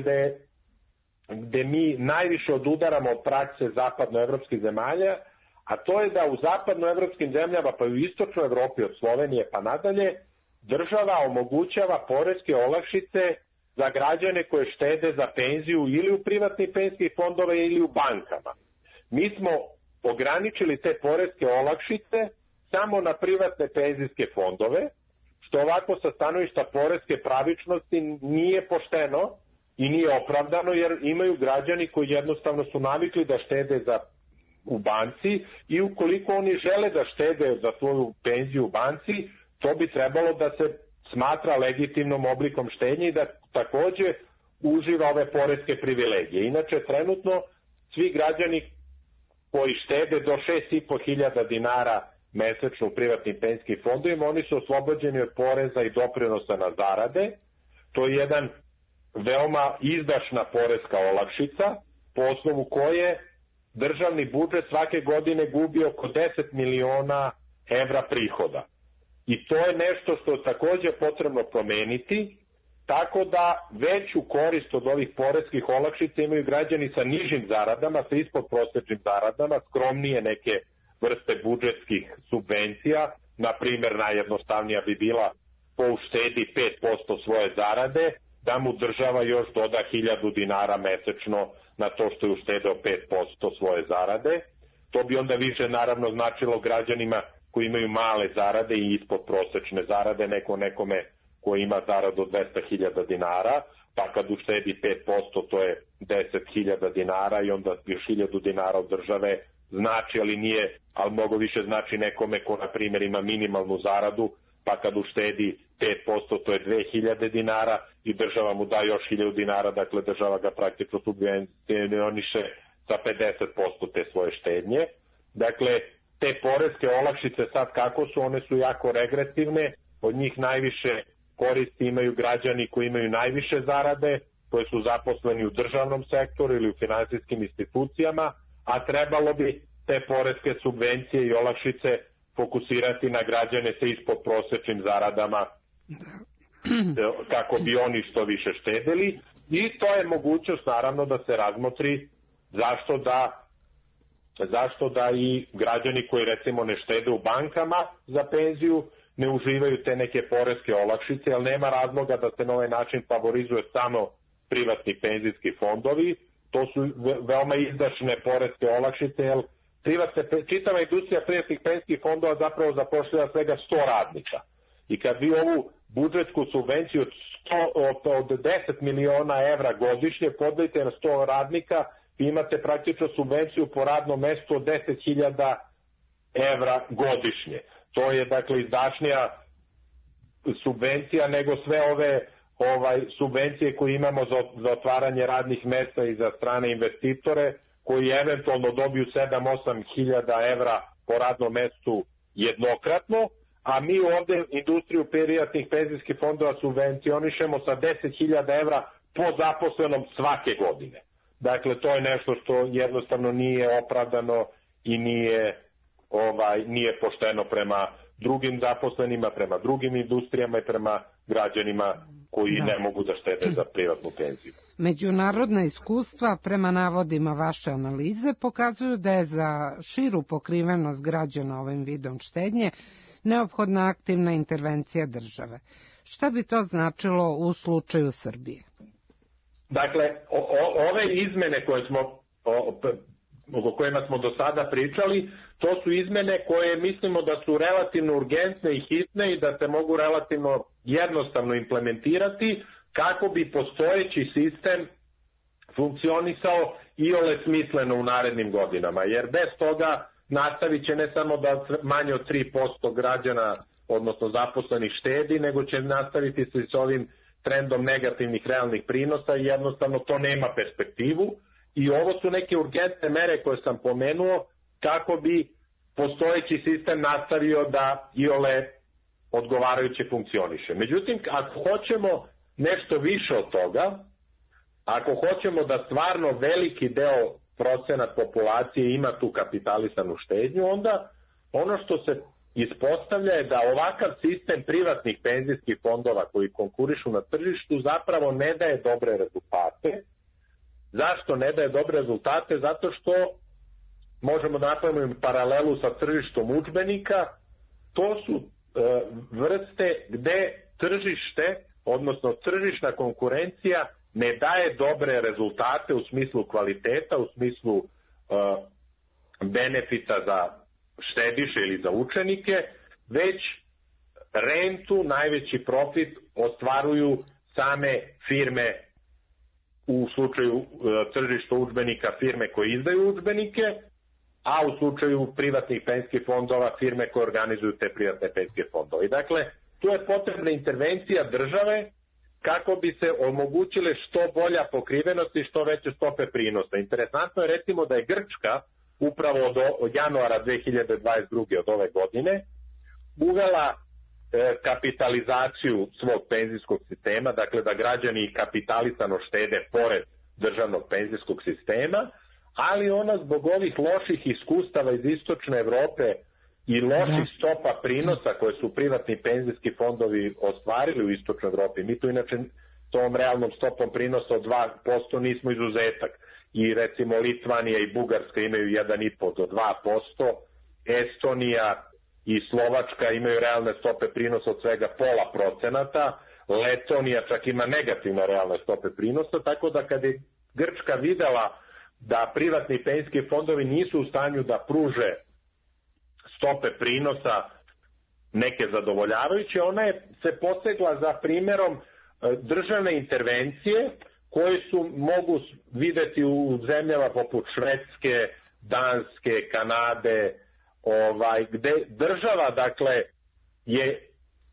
gde mi najviše odudaramo od prakse zapadnoevropskih zemalja, a to je da u zapadnoevropskim zemljama, pa i u istočnoj Evropi od Slovenije pa nadalje, država omogućava poreske olakšice za građane koje štede za penziju ili u privatnih penzijskih fondova ili u bankama. Mi smo ograničili te poreske olakšice samo na privatne penzijske fondove, što ovako sa stanovišta poreske pravičnosti nije pošteno i nije opravdano, jer imaju građani koji jednostavno su navikli da štede u banci i ukoliko oni žele da štede za svoju penziju u banci, to bi trebalo da se smatra legitimnom oblikom štednje i da takođe uživa ove poreske privilegije. Inače, trenutno svi građani koji štede do 6.500 dinara mesečno u privatnim penzijskim fondovima, oni su oslobođeni od poreza i doprinosa na zarade. To je jedan veoma izdašna poreska olakšica, po osnovu koje državni budžet svake godine gubi oko 10 miliona evra prihoda. I to je nešto što je takođe potrebno promeniti, tako da veću korist od ovih poreskih olakšica imaju građani sa nižim zaradama, sa ispodprosečnim zaradama, skromnije neke vrste budžetskih subvencija. Na primer, najjednostavnija bi bila ko uštedi 5% svoje zarade, da mu država još doda 1000 dinara mesečno na to što je uštedeo 5% svoje zarade. To bi onda više naravno značilo građanima koji imaju male zarade i ispod prosečne zarade, nekome koji ima zaradu od 200.000 dinara, pa kad uštedi 5%, to je 10.000 dinara i onda još 1.000 dinara od države znači, ali mnogo više znači nekome ko, na primjer, ima minimalnu zaradu, pa kad uštedi 5%, to je 2.000 dinara i država mu da još 1.000 dinara, dakle država ga praktično subvencioniše sa 50% te svoje štednje. Dakle, te poreske olakšice sad kako su, one su jako regresivne, od njih najviše koristi imaju građani koji imaju najviše zarade, koji su zaposleni u državnom sektoru ili u finansijskim institucijama, a trebalo bi te poreske subvencije i olakšice fokusirati na građane sa ispod prosečnim zaradama kako bi oni što više štedeli, i to je mogućnost naravno da se razmotri zašto da i građani koji recimo ne štede u bankama za penziju ne uživaju te neke poreske olakšice, jer nema razloga da se na ovaj način favorizuje samo privatni penzijski fondovi. To su veoma izdašne poreske olakšice, jer čitava industrija privatnih penzijskih fondova zapravo zapošljava svega 100 radnika. I kad vi ovu budžetsku subvenciju od 10 miliona evra godišnje podelite na 100 radnika, vi imate praktično subvenciju po radnom mestu od 10.000 evra godišnje. To je dakle izdašnija subvencija nego sve ove subvencije koje imamo za otvaranje radnih mesta i za strane investitore, koji eventualno dobiju 7-8 hiljada evra po radnom mestu jednokratno, a mi ovde industriju privatnih penzijskih fondova subvencionišemo sa 10.000 evra po zaposlenom svake godine. Dakle, to je nešto što jednostavno nije opravdano i nije pošteno prema drugim zaposlenima, prema drugim industrijama i prema građanima koji ne mogu da štede za privatnu penziju. Međunarodna iskustva, prema navodima vaše analize, pokazuju da je za širu pokrivenost građana ovim vidom štednje neophodna aktivna intervencija države. Šta bi to značilo u slučaju Srbije? Dakle, ove izmene o kojima smo do sada pričali, to su izmene koje mislimo da su relativno urgentne i hitne i da se mogu relativno jednostavno implementirati kako bi postojeći sistem funkcionisao iole smisleno u narednim godinama. Jer bez toga nastavit će ne samo da manje od 3% građana, odnosno zaposlenih, štedi, nego će nastaviti se s ovim trendom negativnih realnih prinosa i jednostavno to nema perspektivu. I ovo su neke urgentne mere koje sam pomenuo kako bi postojeći sistem nastavio da iole odgovarajuće funkcioniše. Međutim, ako hoćemo nešto više od toga, ako hoćemo da stvarno veliki deo procenat populacije ima tu kapitalisanu štednju, onda ono što se ispostavlja je da ovakav sistem privatnih penzijskih fondova koji konkurišu na tržištu zapravo ne daje dobre rezultate. Zašto ne daje dobre rezultate? Zato što možemo da napravimo paralelu sa tržištom udžbenika. To su vrste gde tržište, odnosno tržišna konkurencija ne daje dobre rezultate u smislu kvaliteta, u smislu benefita za štediše ili za učenike, već rentu, najveći profit ostvaruju same firme, u slučaju tržišta udžbenika firme koje izdaju udžbenike, a u slučaju privatnih penzijskih fondova firme koje organizuju te privatne penzijske fondove. I dakle, tu je potrebna intervencija države kako bi se omogućile što bolja pokrivenost i što veće stope prinosa. Interesantno je recimo da je Grčka upravo od januara 2022. od ove godine uvela kapitalizaciju svog penzijskog sistema, dakle da građani kapitalisano štede pored državnog penzijskog sistema, ali ona zbog ovih loših iskustava iz istočne Evrope i loših stopa prinosa koje su privatni penzijski fondovi ostvarili u istočnoj Evropi. Mi tu inače tom realnom stopom prinosa od 2% nismo izuzetak. I recimo Litvanija i Bugarska imaju 1,5 do 2%, Estonija i Slovačka imaju realne stope prinosa od svega 0,5%, Letonija čak ima negativne realne stope prinosa, tako da kad je Grčka videla da privatni penzijski fondovi nisu u stanju da pruže stope prinosa neke zadovoljavajuće, ona je se posegla za primjerom državne intervencije koje su mogu videti u zemljama poput Švedske, Danske, Kanade, gde država dakle je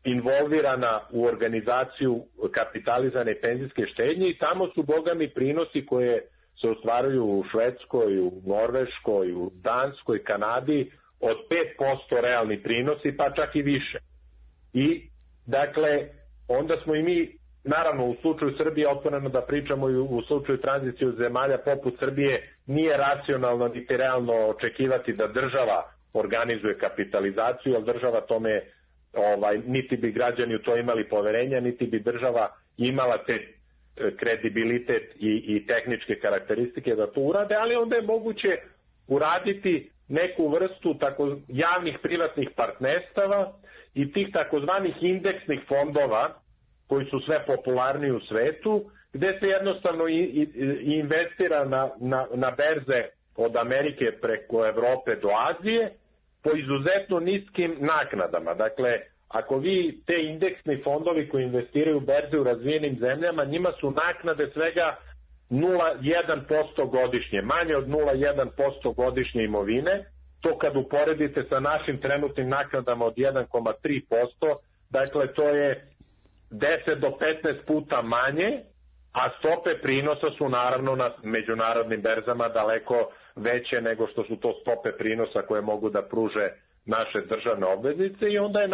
involvirana u organizaciju kapitalizane penzijske štednje i tamo su bogami prinosi koje se ostvaruju u Švedskoj, u Norveškoj, u Danskoj, Kanadi od 5% realni prinosi, pa čak i više. I dakle onda smo i mi, naravno u slučaju Srbije, otvoreno da pričamo i u slučaju tranzicije zemalja poput Srbije, nije racionalno niti realno očekivati da država organizuje kapitalizaciju, jer država tome, niti bi građani u to imali poverenja, niti bi država imala te kredibilitet i tehničke karakteristike da to urade, ali onda je moguće uraditi neku vrstu javnih privatnih partnerstava i tih takozvanih indeksnih fondova koji su sve popularniji u svetu, gde se jednostavno investira na berze od Amerike preko Evrope do Azije po izuzetno niskim naknadama. Dakle, ako vi te indeksni fondovi koji investiraju u berze u razvijenim zemljama, njima su naknade svega 0,1% godišnje, manje od 0,1% godišnje imovine. To kad uporedite sa našim trenutnim naknadama od 1,3%, dakle to je 10 do 15 puta manje, a stope prinosa su naravno na međunarodnim berzama daleko veće nego što su to stope prinosa koje mogu da pruže naše državne obveznice i onda je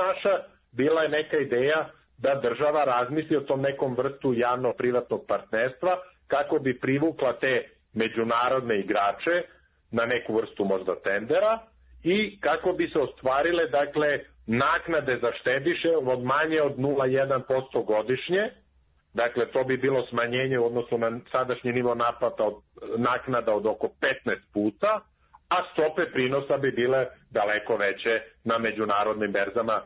bila je neka ideja da država razmisli o tom nekom vrstu javno-privatnog partnerstva kako bi privukla te međunarodne igrače na neku vrstu možda tendera i kako bi se ostvarile dakle naknade za štediše od manje od 0,1% godišnje. Dakle, to bi bilo smanjenje u odnosu na sadašnji nivo naplata naknada od oko 15 puta, a stope prinosa bi bile daleko veće na međunarodnim berzama.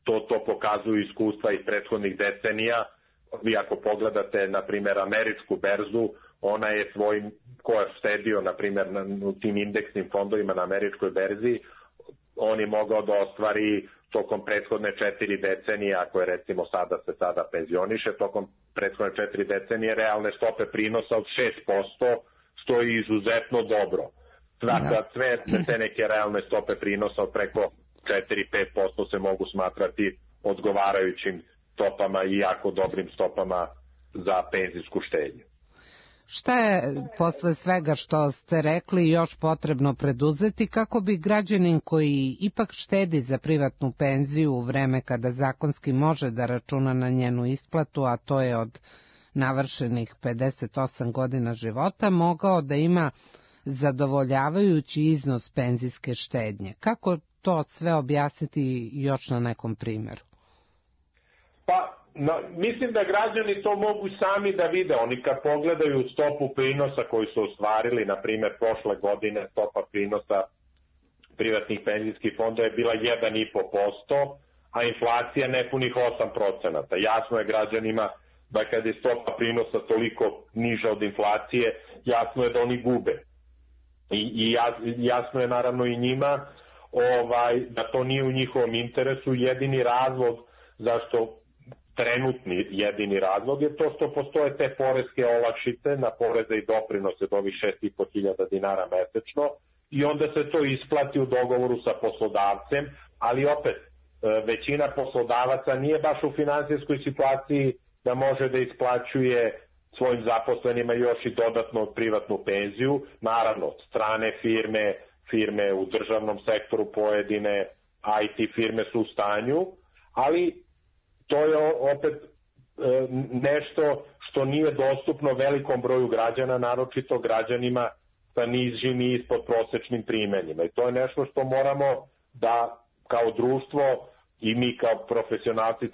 To pokazuju iskustva iz prethodnih decenija. Vi ako pogledate, na primjer, američku berzu, ona je ko je štedio, na primjer, u tim indeksnim fondovima na američkoj berzi, on je mogao da ostvari tokom prethodne 4 decenije, ako je recimo sada penzioniše, tokom prethodne 4 decenije realne stope prinosa od 6%, što je izuzetno dobro. Sve te neke realne stope prinosa od preko 4-5% se mogu smatrati odgovarajućim stopama i jako dobrim stopama za penzijsku štednju. Šta je posle svega što ste rekli još potrebno preduzeti kako bi građanin koji ipak štedi za privatnu penziju u vreme kada zakonski može da računa na njenu isplatu, a to je od navršenih 58 godina života, mogao da ima zadovoljavajući iznos penzijske štednje? Kako to sve objasniti još na nekom primjeru? Mislim da građani to mogu sami da vide. Oni kad pogledaju stopu prinosa koju su ostvarili, na primjer prošle godine stopa prinosa privatnih penzijskih fondova je bila 1,5%, a inflacija nepunih 8%. Jasno je građanima da kad je stopa prinosa toliko niža od inflacije, jasno je da oni gube. I jasno je naravno i njima da to nije u njihovom interesu. Jedini razlog zašto trenutni jedini razlog je to što postoje te poreske olakšice na poreze i doprinose do ovih 6.500 dinara mesečno i onda se to isplati u dogovoru sa poslodavcem, ali opet većina poslodavaca nije baš u finansijskoj situaciji da može da isplaćuje svojim zaposlenima još i dodatno privatnu penziju. Naravno, strane firme u državnom sektoru, pojedine IT firme su u stanju, ali to je opet nešto što nije dostupno velikom broju građana, naročito građanima sa nižim i ispod prosečnim primanjima. I to je nešto što moramo da kao društvo i mi kao profesionalci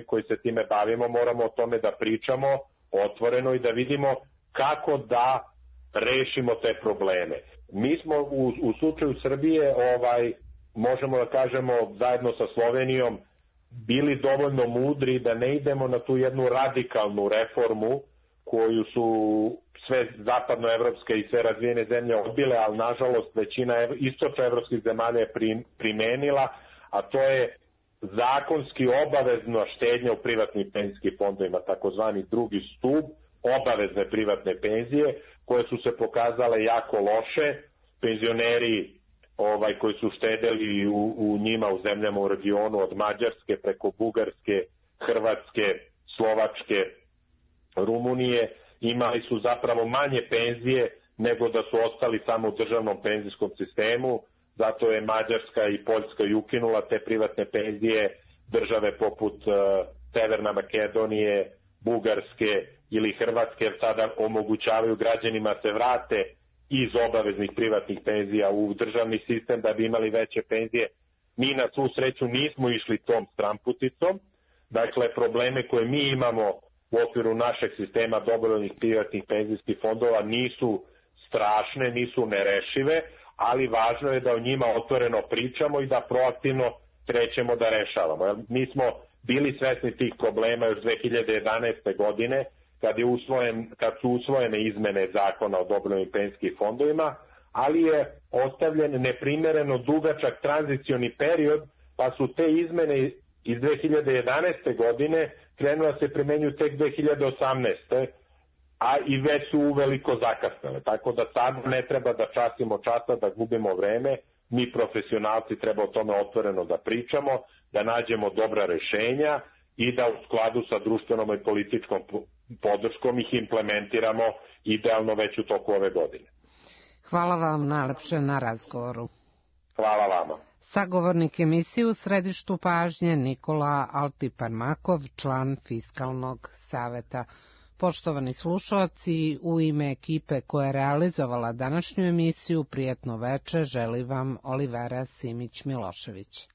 koji se time bavimo moramo o tome da pričamo otvoreno i da vidimo kako da rešimo te probleme. Mi smo u slučaju Srbije, možemo da kažemo zajedno sa Slovenijom, bili dovoljno mudri da ne idemo na tu jednu radikalnu reformu koju su sve zapadnoevropske i sve razvijene zemlje odbile, ali nažalost većina istočnoevropskih zemalja je primenila, a to je zakonski obavezna štednja u privatnim penzijskim fondovima, takozvani drugi stub, obavezne privatne penzije, koje su se pokazale jako loše. Penzioneri koji su štedeli u njima u zemljama u regionu od Mađarske preko Bugarske, Hrvatske, Slovačke, Rumunije, imali su zapravo manje penzije nego da su ostali samo u državnom penzijskom sistemu. Zato je Mađarska i Poljska i ukinula te privatne penzije. Države poput Severna Makedonije, Bugarske ili Hrvatske sada omogućavaju građanima se vrate iz obaveznih privatnih penzija u državni sistem da bi imali veće penzije. Mi na svu sreću nismo išli tom stramputicom. Dakle, probleme koje mi imamo u okviru našeg sistema dobrovoljnih privatnih penzijskih fondova nisu strašne, nisu nerešive, ali važno je da o njima otvoreno pričamo i da proaktivno krećemo da rešavamo. Mi smo bili svesni tih problema još 2011. godine, kad su usvojene izmene zakona o dobrovoljnim penzijskim fondovima, ali je ostavljen neprimereno dugačak tranzicioni period, pa su te izmene iz 2011. godine krenule da se primenjuju tek 2018. a i već su uveliko zakasnile. Tako da sad ne treba da častimo časa, da gubimo vreme, mi profesionalci treba o tome otvoreno da pričamo, da nađemo dobra rešenja i da u skladu sa društvenom i političkom podrškom ih implementiramo idealno već u toku ove godine. Hvala vam najlepše na razgovoru. Hvala vama. Sagovornik emisije u središtu pažnje Nikola Altiparmakov, član Fiskalnog saveta. Poštovani slušalci, u ime ekipe koja je realizovala današnju emisiju, prijatno veče želi vam Olivera Simić-Milošević.